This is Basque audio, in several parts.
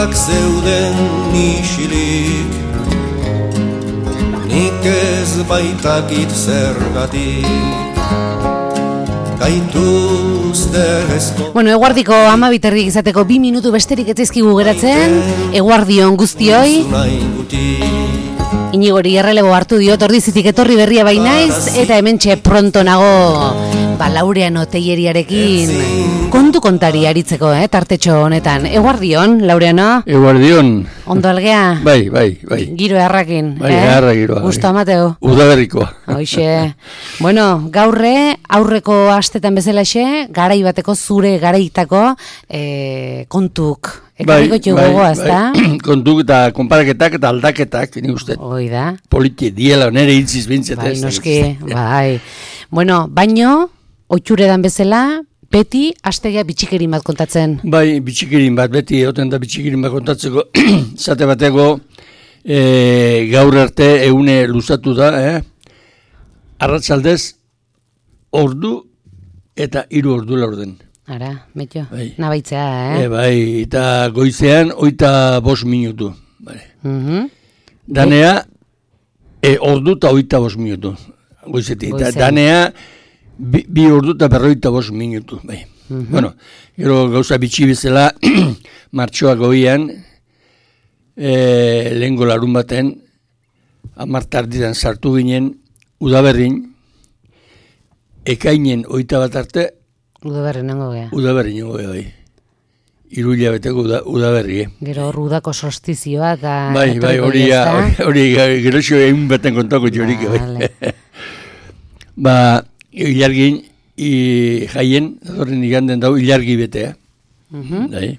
Begiak zeuden isilik, nik ez baitakit zergatik. Bueno, eguardiko 12 izateko 2 minutu besterik ez zaizkigu geratzen. Eguardion guztioi. Inigori errelebo hartu diot, ordizitik etorri berria bainaiz, eta hementxe pronto nago Laureano Telleriarekin kontu kontari aritzeko, tartetxo honetan. Eguardion, Laureano? Eguardion. Ondo algea? Bai. Giro errakin, Bai, erra giroa. Gusto amateo? Udaberrikoa. Hoixe. Bueno, gaurre, aurreko astetan bezalaxe, garai bateko zure garaitako kontuk. Ekarriko txugogoa, ezta? Kontuk eta konparaketak eta aldaketak, ni uste. Hoi da. Politi diela, nere hitziz bintzat. Bai, noski, bai. Bueno, baino, oitxuredan bezala, beti astegia bitxikerin bat kontatzen. Bai, bitxikerin bat, beti egoten da bitxikerin bat kontatzeko. Zate bateko, gaur arte egune luzatu da, arratsaldez, ordu eta 3 ordu laurden. Ara, metxo, bai. Nabaitzea, Bai, eta goizean, 25 minutu. Vale. Danea, ordu eta 25 minutu. Goizetik, eta danea, 2 ordu eta 45 minutu. Bai. Bueno, gero gauza bitxi bezala, martxoak goian, lehengo larun baten, 10 arditan sartu ginen, Udaberrin, ekainen 21 arte, Udaberri nengo gea. Udaberri nengo gea, bai. 3 hilabeteko Udaberri, Gero hor udako solstizioa eta... Bai, hori gero xo egin baten kontako jorik, bai. Ilargin, jaien, datorren iganden dago, ilargi betea. Bai.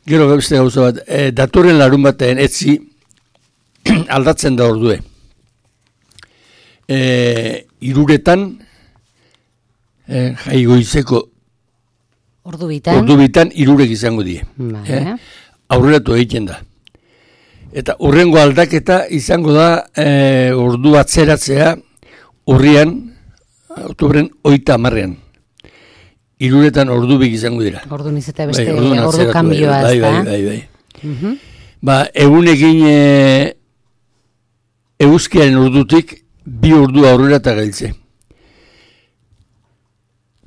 Gero beste gauza bat, datorren larun batean etzi aldatzen da ordue. 3 jai goizeko ordu bitan 3 izango die. Aurreratu egiten da. Eta urrengo aldaketa izango da ordu atzeratzea urrian, oktobren 30an. 3 ordu bik izango dira. Ordu niz eta beste ordu kanbioa ez da. Bai. Egunekin eguzkiaren ordutik 2 ordu aurrera eta gailtze.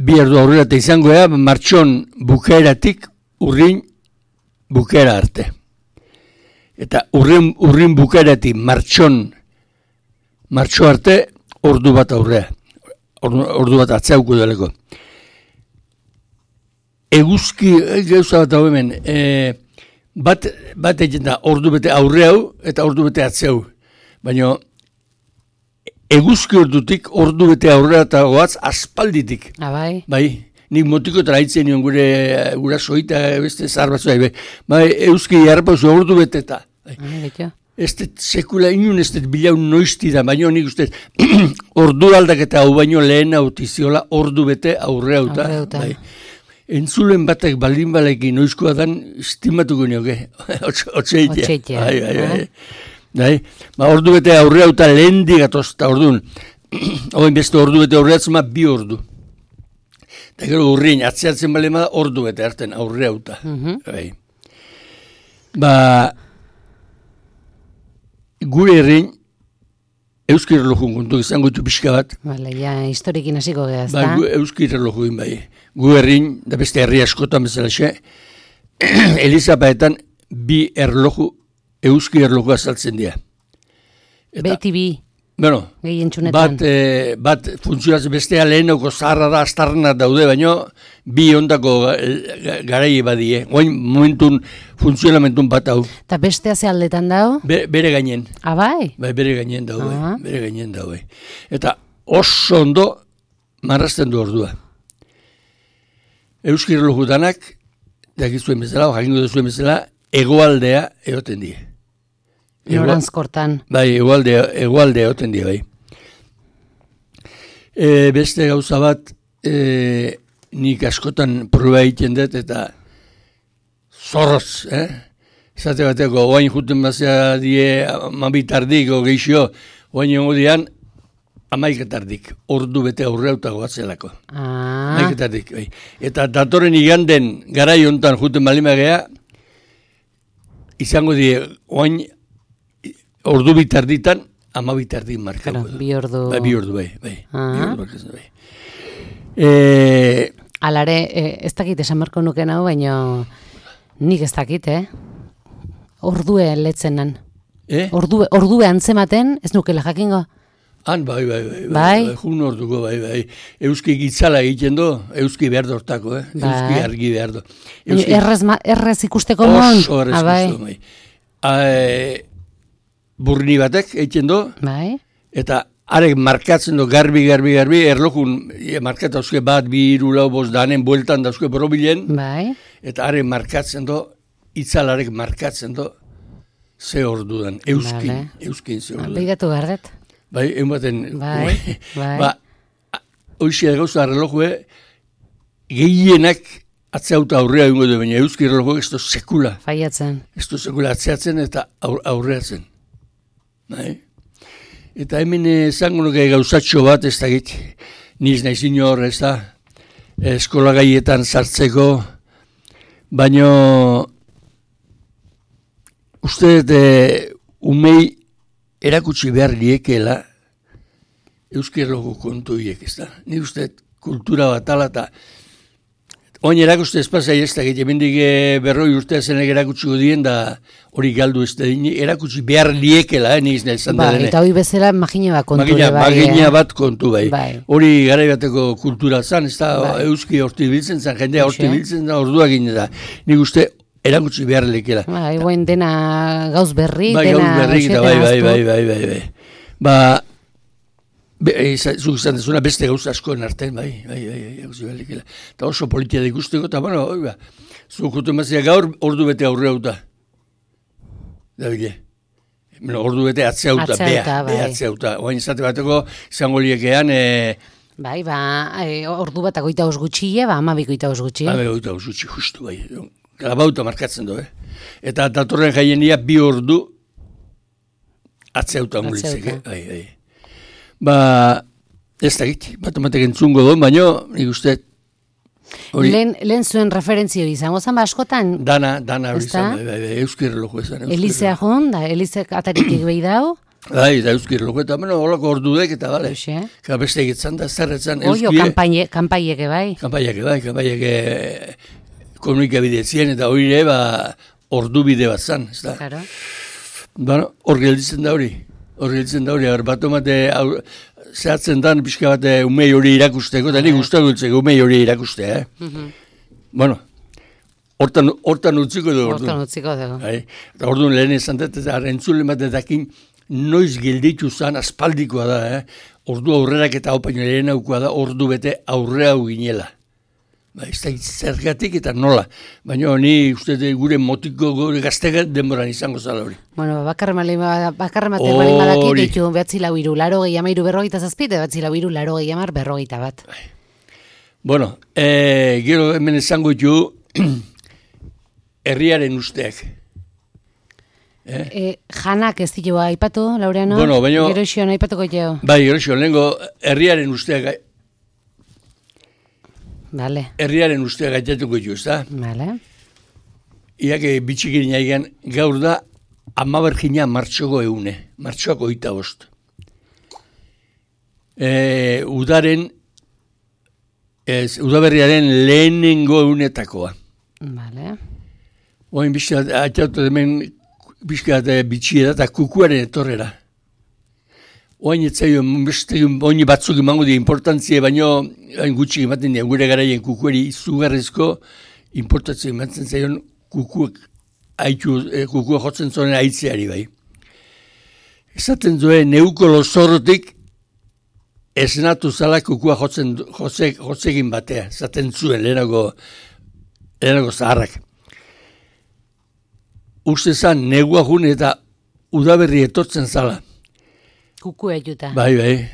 2 ordu aurrera eta izango ea, martxon bukaeratik urrin bukaera arte. Eta urrin bukaeratik martxo arte ordu bat aurrea. Ordu bat atzeuko daleko. Eguzki, gauza bat hau hemen, bat egin da ordu bete aurreau eta ordu bete atzeu. Baina eguzki ordutik ordu bete aurrera eta goaz aspalditik. Bai. Bai, nik motiko traitzen nion gure soita beste zahar batzu. Bai, eguzki jarrapauzu ordu bete eta. Ez dut sekula inun ez dut bilaun noizti da, baina nik uste ordu aldaketa hau baino lehen autiziola ordu bete aurrera uta. Bai. Entzulen batek baldin balekin noizkoa dan estimatuko nioke. Otseitea. Bai. Ordu bete aurrera uta lehen digatozta ordun. Oin beste ordu bete aurreatzen 2 ordu. Eta gero urrin atzeatzen balema ordu bete harten aurrera uta. Bai. Gure herrin euskir relojun kontu izango ditu pixka bat. Bale, ja, historikin hasiko geha, ezta? Euskir relojuin bai. Gu herrin, da beste herri askotan bezala xe, Elizapaetan 2 erloju, euskir erloju azaltzen dira. Beti 2. Bueno, bat funtzionatzen bestea lehenoko zaharra da, astarnak daude, baino 2 ondako garai badie. Oain momentun funtzionamentun bat hau. Eta bestea ze aldetan dago? Bere gainen. Bai? Bai, bere gainen daude. Eta oso ondo marrazten du ordua. Euskir relojutanak, dakizuen bezala, jakingo duzuen bezala, hegoaldea egoten die. Noranzkortan. Bai, hegoaldea egoten die, bai. Beste gauza bat, nik askotan proba egiten dut, eta zorroz, Zate bateko, oain juten bazea die 12 tardiko geixo, oain jongo dian, 11 tardik, ordu bete aurreuta goatzelako. 11 tardik, bai. Eta datoren iganden garai hontan juten balimagea, izango die, oain, ordu bitarditan, 12 markatu. Claro, 2 ordu. Bi ordu, bai. Bi ordu markatzen, bai. Alare, ez dakit esan marko nuken hau, baina nik ez dakit, Ordue letzenan. Ordue antzematen, ez nukela jakingo? Han, bai. Jun orduko, bai. Euski gitzala egiten do, euski behar dortako, Euski argi behar do. Errez ikusteko mon? Oso errez ikusteko, bai. Burni batek egiten do, bai. Eta arek markatzen do, garbi, erlokun markatu dauzke bat, 2, 3, 4, 5 danen bueltan dauzke borobilen, bai. Eta arek markatzen do, itzalarek markatzen do, ze ordudan, euskin ze ordudan. Begiratu gardet. Bai, ematen, bai. Hoxia gauza relojue, gehienak atzeauta aurrea ingo du, baina euski relojue ez du sekula. Faiatzen. Ez du sekula atzeatzen eta aurreatzen. Bai? Eta hemen zango nuke gauzatxo bat, ez da git, niz nahi zinor, ez da, eskola gaietan sartzeko, baina uste umei erakutsi behar liekela euskir logo kontuiek, ez da. Ni uste kultura bat ala eta oin erakuste espazai ez da, hemendik 40 urtea zenek erakutsiko dien da hori galdu ez da, erakutsi behar liekela, niz nahi zan da dene. Eta hori bezala magina bat kontu bai. Magina bat kontu bai. Hori gara bateko kultura zan, ez da, euski horti biltzen zan, jendea horti biltzen da, orduak gine da. Nik uste erakutsi behar lekela. Bai, guen dena gauz berri, dena... Bai. Zuk izan dezuna beste gauz askoen artean, bai, erakutsi behar lekela. Eta oso politia da ikusteko, eta bueno, zuk jutu emazia gaur ordu bete aurre hauta. Da bile. Ordu bete atzeuta, atzeuta. Oain izate bateko, izango liekean... Bai, ordu bat agoita osgutxile, 12 osgutxile. 12 osgutxile, justu, bai. Grabauta markatzen du, Eta datorren jaienia 2 ordu atzeuta ongulitzeke. Ez da git, bat entzungo du, baina nik uste... Lehen zuen referentzio izango zan, askotan? Dana hori izan, euskir reloj ezan. Elizea joan, Elizek ataritik behi dau? Bai, da euskir reloj, eta holako ordudek, eta bale. Beste egitzen da, zerretzen euskire. Oio, kanpaieke bai. Kanpaieke komunikabidetzien, eta hori ere, ordu bide bat zan, ez da. Claro. Hor gelditzen da hori. Bat omate, zehatzen dan, pixka bat umei hori irakusteko, eta nik guztak dultzeko umei hori irakustea, Bueno, hortan utziko dugu. Eta orduan lehen esan dut, eta entzulen bat edakin, noiz gelditu zan, aspaldikoa da, Ordu aurrerak eta haupaino lehen aukoa da, ordu bete aurre hau ginela. Ez da zergatik eta nola. Baina ni uste gure motiko gure gaztegat denboran izango zala hori. Bueno, bakarremate balin badakit ditu 983 berrogeita bat. Bueno, gero hemen esango ditu herriaren usteak. Janak ez ditu aipatu, Laureano? Bueno, baina... Gero ision aipatuko jo. Bai, gero ision, lehenko herriaren usteak... Vale. Herriaren ustea gaitatuko jo, ez da? Vale. Iake bitxikin jaigan, gaur da, 10 martxoko eune. Martxoak 25. Udaberriaren lehenengo eunetakoa. Vale. Oain atxautu demen, bizkat bitxia da, eta kukuaren etorrera. Oain etzaio, oin batzuk emango di importantzia, baino gutxik ematen dira, gure garaien kukueri izugarrizko importantzia ematen zaion kukuak jotzen zonen aitzeari bai. Esaten zuen, neuko lozorrotik esnatu zala kukua jotzekin batea, esaten zuen lehenago zaharrak. Uste zan, negua jun eta udaberri etortzen zala. Kukua juta. Bai.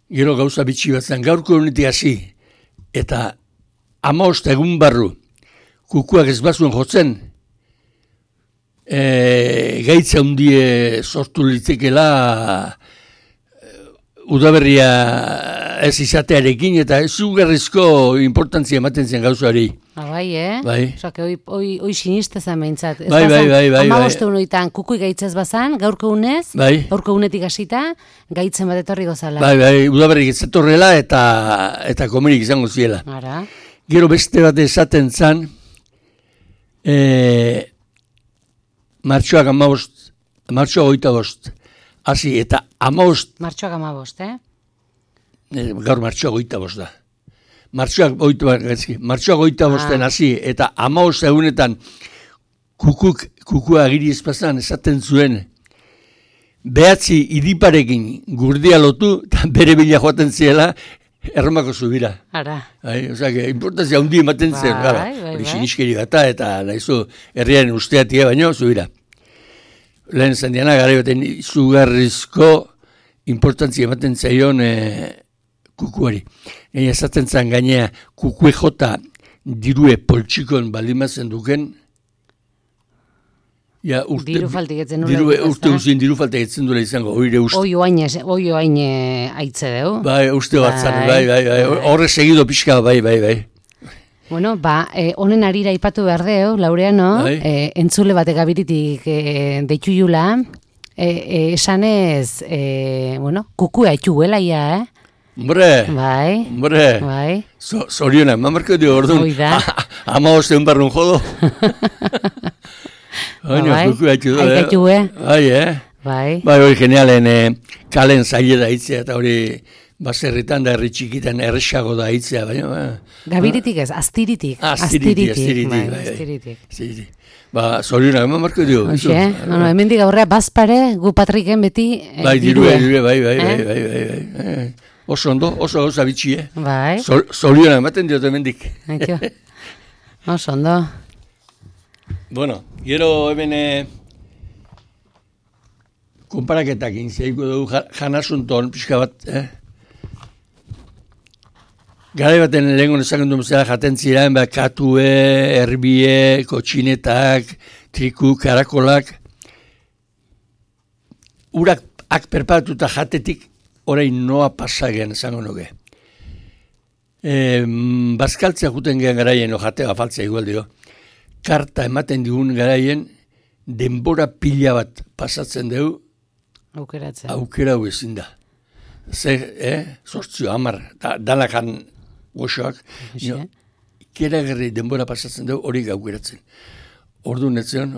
Gero gauza bitxi bat zen, gaurko honetik hasi, eta 15 egun barru, kukuak ez bazuen jotzen, gaitza hundie sortu litzekela udaberria ez izatearekin, eta izugarrizko importantzia ematen zen gauzoari. Bai, Bai. Osake, hoi sinistezan behintzat. Bai. Amaboste unoitan kukui gaitzez bazan, gaurko unez, Bai. gaurko unetik hasita, gaitzen bat etorri gozala. Bai, udaberrik ez etorrela eta komerik izango ziela. Ara. Gero beste bat esaten zan, martxoak 25, hasi eta 15, Martxoak 15, gaur martxoak 25 da. Martxoak 25 hasi eta 15 egunetan kukua agiri espazan esaten zuen, behatzi idiparekin gurdia lotu eta bere bila joaten ziela Erromako zubira. Ara. Osea, importantzia handi ematen zen, gara. Hori siniskeri gata eta nahizu herriaren usteatia baino zubira. Lehen esan diana, gara baten izugarrizko importantzia ematen zaion kukuari. Gaina esaten zen gainea kukue jota dirue poltsikon balimazen duken, diru faltiketzen nula. Urte guzien diru faltiketzen duela izango, oire uste. Oio hain aitze deu. Bai, uste batzan, bai. Horre segido pixka, bai. Bueno, honen arira ipatu behar deu, Laureano, entzule batek abiritik deitxuiula, esanez, kukua etxuela ia, Hombre, bai. Zorionak, mamarko dio orduan, ama osteun barrun jodo. Bai, hori genialen kalen zaila da hitzea, eta hori baserritan da herri txikitan erresago da hitzea, baina... Gabiritik ez, aztiritik. Aztiritik. Zorionak, mamarko dio. Hemendik aurrea bazpare, gu patriken beti dirue. Bai. Oso ondo, oso gauza bitxi, Bai. Zorionak, ematen diot hemendik. Oso ondo. Bueno, gero hemen konparaketak inziaiko dugu janasunton, pixka bat, Garai baten lehenko nezaken duen zela jaten ziren, katue, erbie, kotxinetak, triku, karakolak. Urak perpatuta jatetik, orain noa pasagean esango nuke. Bazkaltzea juten gehan garaien, jatea afaltzea igual dio. Karta ematen digun garaien, denbora pila bat pasatzen dugu, aukera hau ezin da. Zortzio, 10, danakan goxoak, ikeragarri denbora pasatzen dugu hori aukeratzen. Orduan netzen,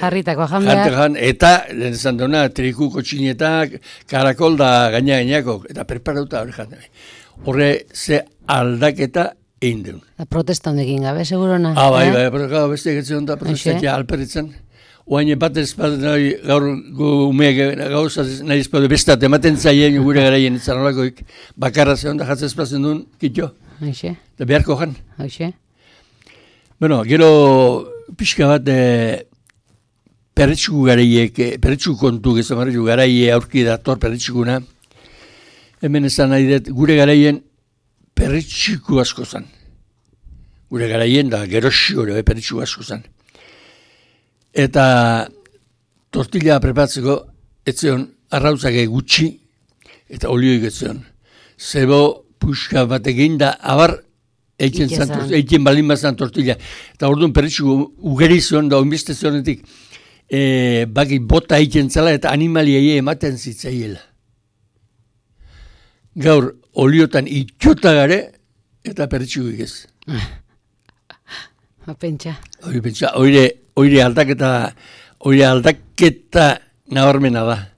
jarritako jandeak. Eta, lehen esan duena, triku, kotxinetak, karakol da gainako, eta preparauta hori jandeak. Horre, ze aldaketa egin deun. Protesta hondekin gabe, segurona. Bai, beste egetzen da protestatia alperritzen. Oain bat ezpadu nahi gaur umeak gauza nahi ezpadu bestat ematen zaien gure garaien zanolakoik bakarra zehon da jatzen ezpazen duen kitxo. Da beharko jan. Bueno, gero pixka bat perretxuku garaiek, perretxuku kontu gezamarretxuku garaie aurki dator perretxukuna. Hemen esan nahi dut gure garaien perretxiku asko zan. Gure garaien da gerosi hori perretxiku asko zan. Eta tortilla preparatzeko etzeon arrautzake gutxi eta olioik etzeon. Zebo puxka batekin da abar eiken balin bazan tortilla. Eta orduan perretxiku ugeri zion da onbiste zionetik baki bota eiken zela eta animaliei ematen zitzaiela. Gaur oliotan itxota gare eta perretxikuik ez. Pentsa. Oire aldaketa nabarmena da.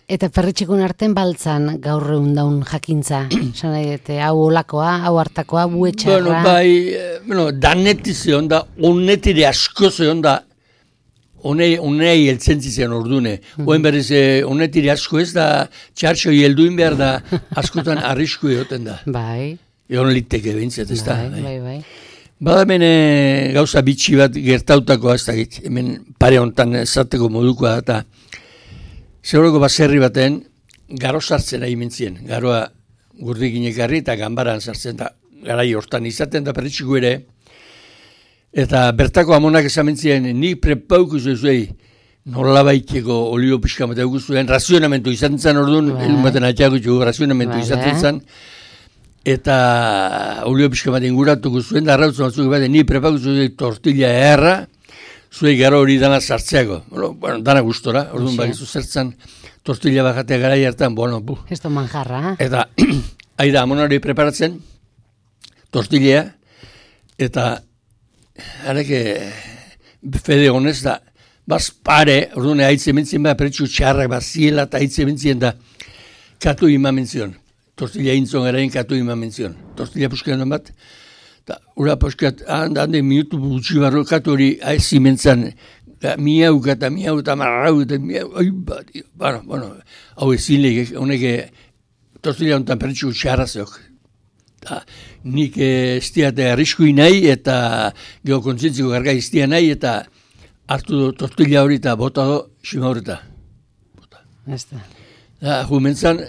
Eta perretxikun arten baltzan gaur egun daun jakintza. Hau olakoa, hau hartakoa, buetxarra. Daneti zeon da, honetire asko zeon da, honei eltzentzi zen ordune. Oen berriz, honetire asko ez da, txartxoi helduin behar da, askotan arrisku egoten da. Bai. Egon liteke behintzat, ez da. Bai. Bada hemen gauza bitxi bat gertautakoa ez da git, hemen pare hontan esateko modukoa eta zeuroko baserri baten garo sartzen nahi mentzien. Garoa gurdikin ekarri eta ganbaran sartzen da garai hortan izaten da perretxiku ere. Eta bertako amonak esan mentzien, nik prepauku zuei nolabaiteko olio pixka bat eguzuen, razionamentu izan zen orduan, elun baten atxagutxu razionamentu izaten zen, eta olio pixka bat inguratuko zuen, da arrautzen batzuk bat, ni prepakutu dut tortilla erra, zuei garo hori dana sartzeako. Bueno, dana gustora, orduan bakizu zertzen tortilla bajatea garai hartan, bueno, bu. Esto manjarra. Eta, aida, amon hori preparatzen, tortillea, eta, areke, fede honez da, baz pare, orduan haitze mentzien ba, pretsu txarrak, ziela eta haitze mentzien da, katu ima mentzion. Tortilla intzon erain katu ima mentzion. Tortilla puskean bat, eta ura puskeat, hande minutu gutxi barro, katu hori haitzi mentzan, miauka eta marrau, eta miau, bueno, hau ezin lehik, honeke, tortilla honetan pretsu txarra zeok. Nik estiate arriskui nahi, eta geho kontzientziko garga iztia nahi, eta hartu tortilla hori eta bota do, xima horreta. Jumentzan,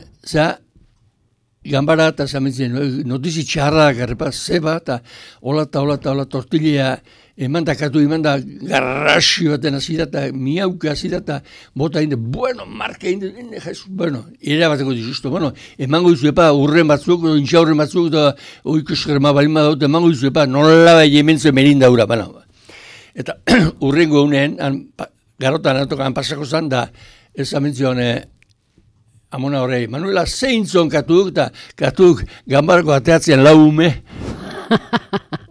gambara eta zamentzen, notizi txarra garrepa, zeba, eta hola tortilla eman da katu, eman da garrasi baten azida, eta miauka azida, eta bota inde, bueno, marka inde, jesu, bueno, ere bateko dizusto, bueno, emango izu epa urren batzuk, intxa urren batzuk, eta oikuskerma balima daute, emango izu epa, nola bai hementzu merin daura, bueno. Eta urrengo unean, garotan antokan pasako zan, da ez amentzioan amona horrei, Manuela zeintzon katuk, eta katuk gambarko ateatzen lau ume.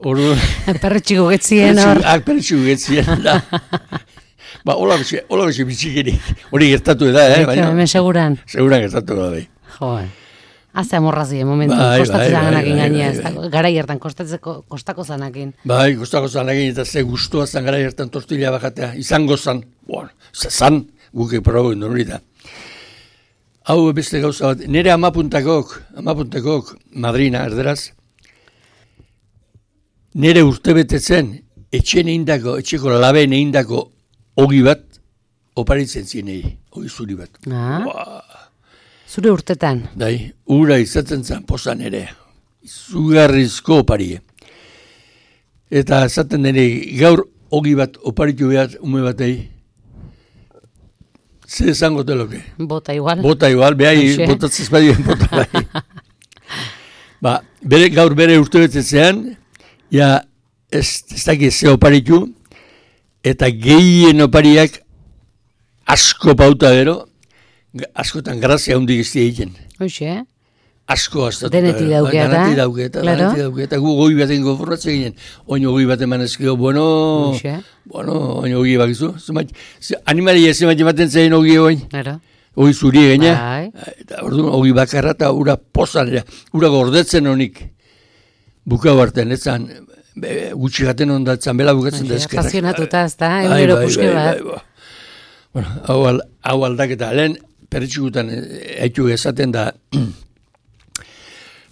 Perretxiko getzien hor. Perretxiko getzien, da. Ba, hola bese bitxikerik, hori gertatu da, Hemen seguran. Seguran gertatu da, bai. Joe. Haze amorrazi, momentu, kostatzen zanakin gainea, garai hartan, kostako zanakin. Bai, kostako zanakin, eta ze guztua zan garai hartan tortilla bajatea, izango zan, zan, guke probo hori da. Hau beste gauza bat, nire amapuntakok, madrina, erderaz, nire urtebetetzen, etxeko labeen eindako ogi bat, oparitzen zienei, ogi zuri bat. Zure urtetan? Dai, ura izaten zen pozan ere, izugarrizko oparie. Eta esaten dene, gaur ogi bat oparitu behar ume batei, ze esango teloke? Bota igual. Bota igual, behai, botatzez badien bota bai. Ba, gaur bere urte betetzean, ja, ez dakit ze oparitu, eta gehien opariak asko pauta gero, askotan grazia hundi gizti egiten. Hoxe, Asko aztatu. Denetik dauketa. Denetik dauketa. Gu goi baten goforratzen ginen. Oin goi bat eman ezkio, bueno, oin goi bakizu. Animalia zemat ematen zein goi oin. Hoi zuri gaina. Eta orduan hoi bakarra eta ura pozan. Ura gordetzen honik. Bukau hartzen, etzan, gutxi gaten ondatzen, bela bukatzen da eskerrak. Apazionatuta, ez da, egunero puske bat. Bueno, hau aldaketa, lehen perretxugutan haitu esaten da,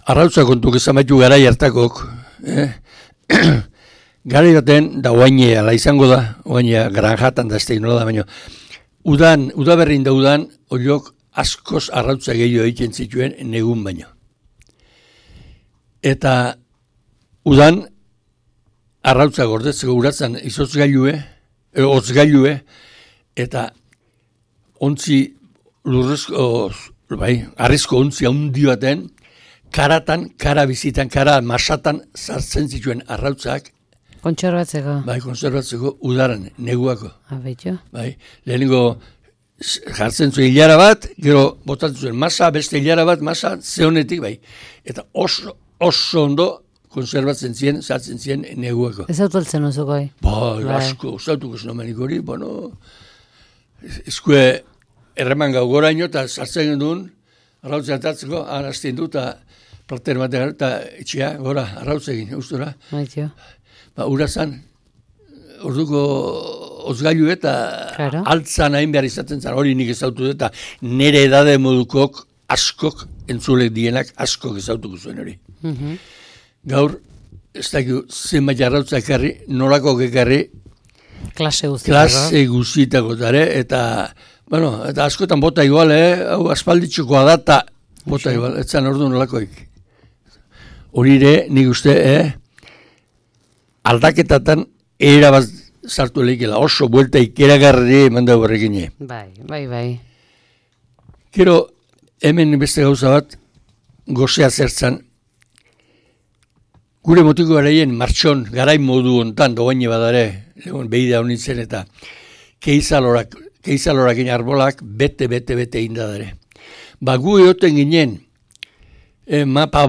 arrautza kontuk ezamaitu garai hartakok, garai baten, da oainea, la izango da, oainea granjatan da ez nola da, baina, udaberrin da udan, horiok askoz arrautza gehiago egiten zituen negun baino. Eta udan, arrautza gordetzeko uratzen hotzgailue, eta ontzi lurrezko, arrizko ontzi handi baten, kara bizitan, kara masatan sartzen zituen arrautzak. Kontserbatzeko. Bai, kontserbatzeko udaran, neguako. Abeitxo. Bai, lehenengo jartzen zuen hilara bat, gero botatzen zuen masa, beste hilara bat, masa, zehonetik, bai. Eta oso ondo konserbatzen ziren, sartzen ziren neguako. Ez autualtzen oso goi. Bai, asko, usautuko zenomenik hori, bueno, eskue erreman gau goraino, eta sartzen duen, arrautzen atatzeko, arazten du, eta plater batean, eta etxea, gora, arrautzegin, eustura. Baitxo. Ba, urazan, orduko ozgailu eta altzan hain behar izaten zan, hori nik ezautu dut, eta nire edade modukok askok, entzulek dienak askok ezautuko zuen hori. Gaur, ez dakio, zenbait arrautza ekarri, norako ekarri, klase guztitako dara, eta, bueno, eta askotan bota igual, hau aspalditxokoa da, eta bota igual, etzan ordu nolakoik. Hori ere, nik uste, aldaketatan erabaz sartu leikela, oso buelta ikeragarri eman dago horrekin. Bai. Gero, hemen beste gauza bat, gozea zertzan, gure motiko garaien martxon, garain modu hontan, dogaine badare, behida honitzen eta keizalorakin arbolak bete indadare. Gu egoten ginen,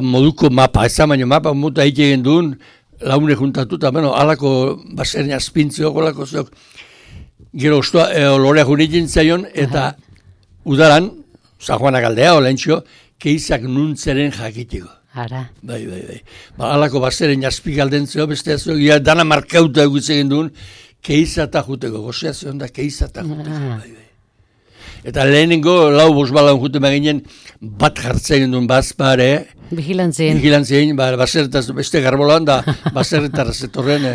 moduko mapa, ez baino mapa muta egiten duen, laune juntatuta, alako baserien azpintziok, olako zeok, gero lorea junitzen zaion, eta udaran, San Juanak aldea, olentxo, keizak nuntzeren jakitiko. Ara. Bai. Alako baseren azpik aldentzeo, beste azio, dana markauta egutzen duen, keizata juteko, gozea zion da keizata juteko. Bai. Eta lehenengo, lau bosbalan jute maginen, bat jartzen duen bazpare. Vigilantzien, baserretaz beste garbolan da, baserretara zetorren,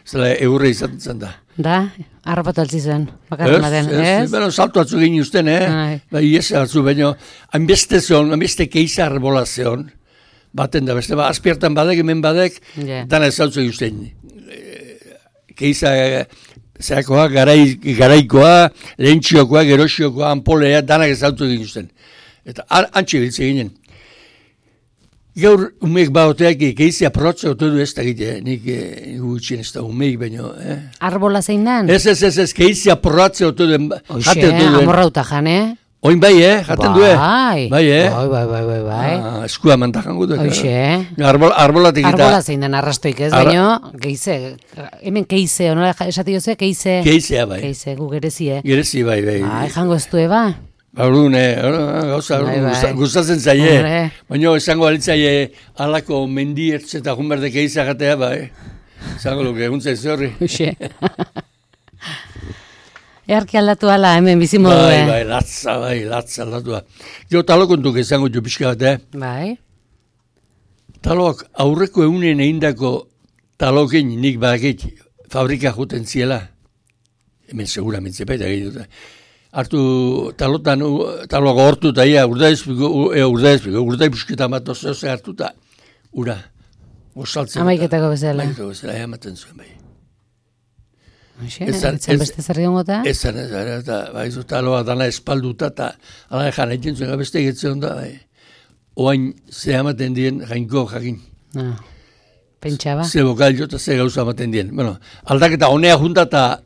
zela eurre izaten da. Da, harrapatu altzi zen, bakarren den, ez? Bueno, salto atzu egin usten, iese atzu, baina, hainbeste keiza arbola zeon, baten da, beste, azpiertan badek, hemen badek, dana ez saltzu egin usten. Keiza, zeakoa, garaikoa, lehentxiokoa, geroxiokoa, ampolea, danak ez saltzu egin usten. Eta antxe biltze ginen. Gaur umeek baoteak keizia protze otu du ez da gite, nik gutxien ez da umeek baino. Arbola zein dan? Ez, keizia protze otu du. Oixe, amorrauta jan, Oin bai, jaten du, Bai. Eskua mantajan gutu. Oixe. Arbolatik eta. Arbola zein dan arrastoik ez, baino, geize, hemen keize, onola esati joze, keize. Keizea, bai. Keize, gu gerezie. Gerezi, bai. Jango ez du, eba? Baurun, gauza, gustatzen zaie. Baina esango alitzaie alako mendiertz eta junberdek eizagatea, bai. Esango luke, eguntzai zorri. Uxe. Earki aldatu ala, hemen bizimodu. Bai, latza aldatu. Jo, talokontuk esango jo pixka bat, Bai. Talok, aurreko egunen eindako talokin nik bakit fabrika juten ziela. Hemen seguramente baita gehiagoa. Hartu taloak hortu eta urdai busketa bat oze hartu eta ura. Amaiketako bezala. Amaten zuen bai. Etzen beste zerri ongota? Ezen, eta baizu taloa dana espalduta eta ala jan egiten zuen beste egitzen da bai. Oain ze amaten dien jainko jakin. Pentsaba? Ze bokal jota ze gauza amaten dien. Bueno, aldaketa honea junta eta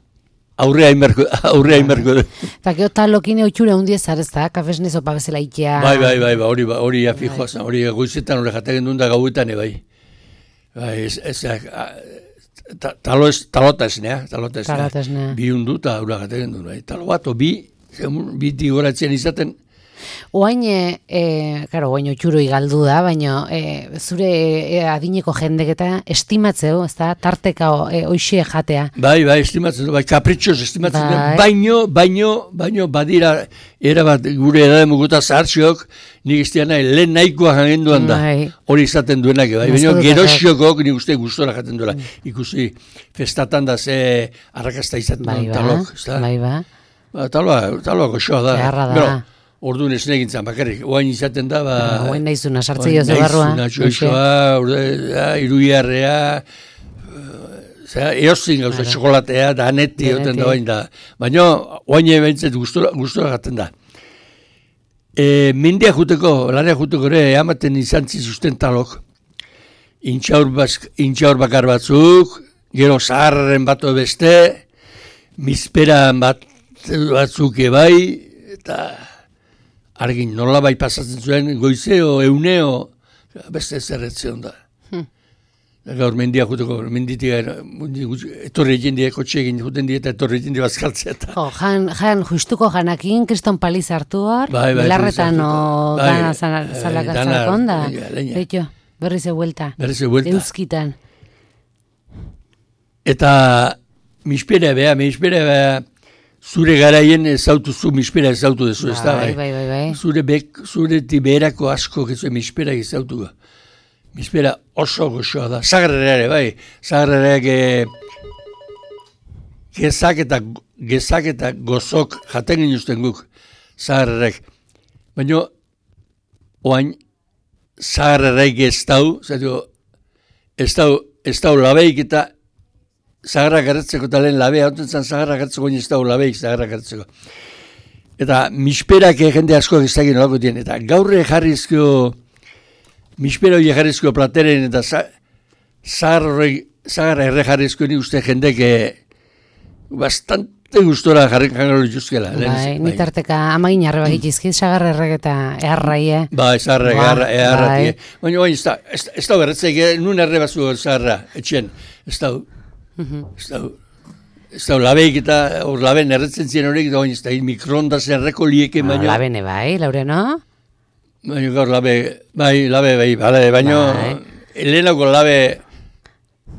aurrea inberko du. Eta gero talokin eutxure hundiez zarezta, kafesne zopa bezala itea. Bai, hori afijoa zen, hori goizetan hori jatagen duen da gauetan, bai. Talota esnea. Bi hundu eta hori jatagen duen, bai. Talo bat, bi tigoratzen izaten. Oain, oain otxuro igaldu da, baina zure adineko jendeketa estimatzeu, ez da, tarteka oixe jatea. Bai, estimatzen, kapritxoz estimatzen, baino badira, erabat gure edademuguta zahartxiok, nik iztiana lehen nahikoa jangenduan da, hori izaten duenak, baina geroxiokok nik uste gustora jaten duela. Ikusi, festatan da ze arrakasta izaten duen talok, ez da? Bai, Taloa goxoa da. Beharra da. Orduan ez negintzen bakarrik, oain izaten da, oain naizuna, sartze jozu barrua. Naizuna, iruiarrea, eozin gauza, txokolatea, da anetti, oten da oain da. Baina, oain ebentzet gustora gaten da. Mendia juteko, lanea juteko ere, amaten izan zizuzten talok. Intxaur bakar batzuk, gero zaharren bato beste, mizperan batzuk ebai, eta argin nola bai pasatzen zuen, goizeo, euneo, beste zerretzion da. Gaur mendia juteko, menditik, etorri egin die, kotxe egin juten die, eta etorri egin die bazkaltzea. Jan justuko janakin, kriston paliz hartu hor, belarretan gana zalakon da. Beito, berriz eguelta. Euskitan. Eta mispera beha, zure garaien ezautuzu, mispera ezautu dezu, ez da, bai. Zure tiberako asko gezu mispera ezautu. Mispera oso goxoa da. Zagarreare, bai. Zagarreare gezak eta gozok jaten ginuzten guk. Zagarrearek. Baina, oain, zagarrearek ez dau labeik eta zagarra gertzeko, eta lehen labea, ontentzan zagarra gertzeko, ez dago labeik zagarra gertzeko. Eta misperak jende asko ezagin olako dien, eta gaurre jarrizko, mispera hori jarrizko plateren, eta zagarra erre jarrizko ni uste jendek bastante gustora jarrikangaro dituzkela. Bai, nitarteka amagin arre bagitizkit, zagarra errek eta eharrai, Bai, zagarra eharrati. Baina, ez da berretzek, nun erre bazu zagarra, etxen, ez da. Ez da, labeik eta hor laben erretzen ziren horiek, da ez da, mikrondas erreko lieke baino. Labene bai, Laureano? Baina gaur labe, baina helenako labe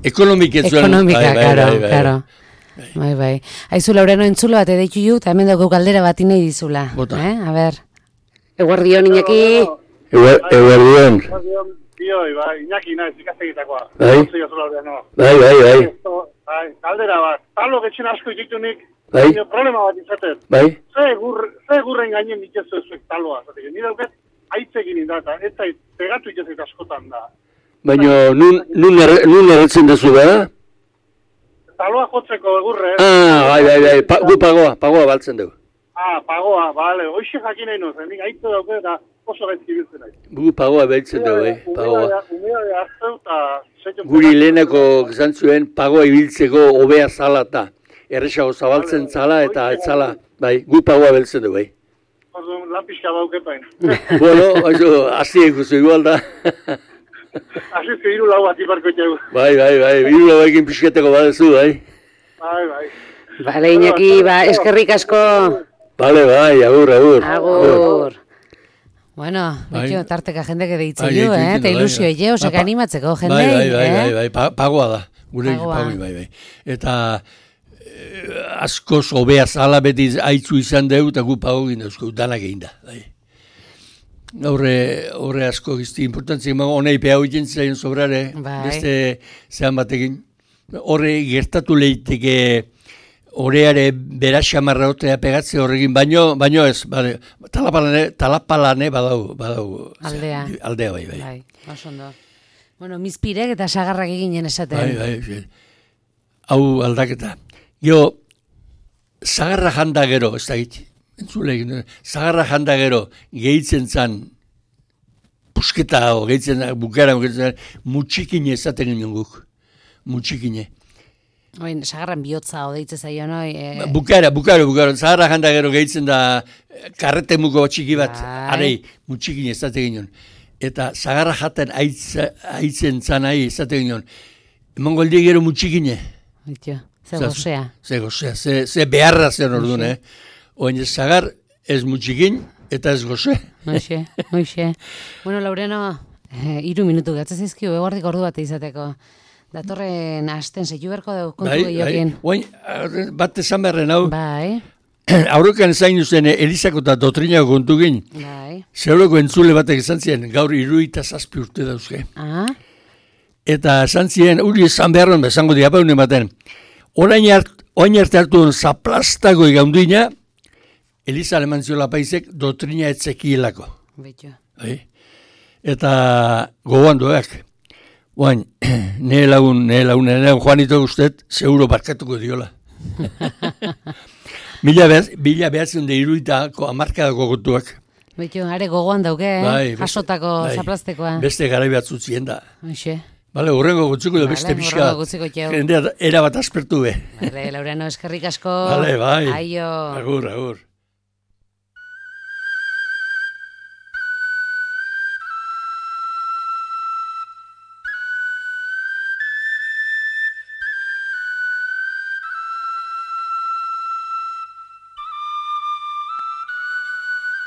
ekonomiketzuen. Ekonomika, karo. Bai. Aizu, Laureano, entzulo bat edaitu ju, eta hemen dugu galdera bat inai dizula. Bota. A ber. Eguardion, Iñaki. Eguardion. Bioi, Iñaki naiz ikastegitakoa. Bai. Galdera bat, talo getxen asko ikitunik, Bai. problema bat izaten. Bai. Ze gurren gainen itezu ezuek taloa. Ni dauket, aitzekin indata, ez zait, pegatu itezait askotan da. Baina nun erretzen dezu da? Taloa jotzeko egurre. Bai. Gu pagoa baltzen dugu. Pagoa, bale. Hoxe jakin nahi nozen, nik aitze dauke eta oso gaizki biltzen nahi. Gu pagoa beltzen dugu, pagoa. Umea hartzeu eta... Guri lehenako gizan zuen pagoa ibiltzeko hobea zala eta erresago zabaltzen zala eta etzala, bai, gu pagoa beltzen dugu, bai. Orduan, lapiska baukepain. Bueno, hasi ikustu igual da. Asizke hiru lau bat iparko txegu. Bai, hiru lau ekin pixketeko badezu, bai. Bai. Bale, Iñaki, eskerrik asko. Bale, agur. Agur. Bueno, betxo, tarteka jendek edeitzen du, eta ilusio ege, osek animatzeko jendei. Bai, pagoa da, gure pagoi, bai. Eta askoz hobea zala beti aitzu izan dugu, eta gu pagogin dauzko, danak egin da, bai. Horre asko gizti importantzik, honei pehau egin zain sobrare, beste zehan batekin. Horre gertatu lehiteke horreare bera xamarra otea pegatze horrekin, baino ez, talapalane badau. Aldea, bai. Bai, osondo. Bueno, mizpirek eta sagarrak eginen esaten. Bai. Hau aldaketa. Gio, sagarra janda gero, ez da git, entzule, sagarra janda gero, gehitzen zan, pusketa hau, gehitzen bukara, mutxikine esaten ginen guk. Mutxikine. Oin, sagarran bihotza odeitze zaio, noi? Bukara. Zaharra janda gero gehitzen da karrete muko txiki bat, arei, mutxikin ezate ginen. Eta zagarra jaten aitzen zan ahi ezate ginen. Eman goldi gero mutxikine. Ze gozea. Ze beharra zen orduan, Oin, zagar ez mutxikin eta ez goze. Hoxe. Bueno, Laureano, 3 minutu gatzez izkio, eguardik ordu bat izateko. Datorren asten zeitu berko dugu kontu gehiokin. Bai, bat esan beharren hau. Bai. Aurrekan zain duzen Elizako eta Dotrinako kontu gin. Bai. Zeuroko entzule batek esan ziren, gaur 67 urte dauzke. Eta esan ziren, uri esan beharren, esango diapaunen baten. Orain arte hartu zaplastako igaunduina, Eliza aleman ziola paisek Dotrina etzekielako. Betxo. Bai. Eta gogoan duak. Oain, nire lagun Juanito guztet, seguro barkatuko diola. Bila behatzen da iruitako amarkadako gotuak. Betxo, are gogoan dauke, jasotako zaplastekoa. Beste garai batzutzien da. Hoxe. Bale, horrengo gutzuko da beste pixka. Jendea era bat aspertu be. Laureano, eskerrik asko. Bale, bai. Aio. Agur.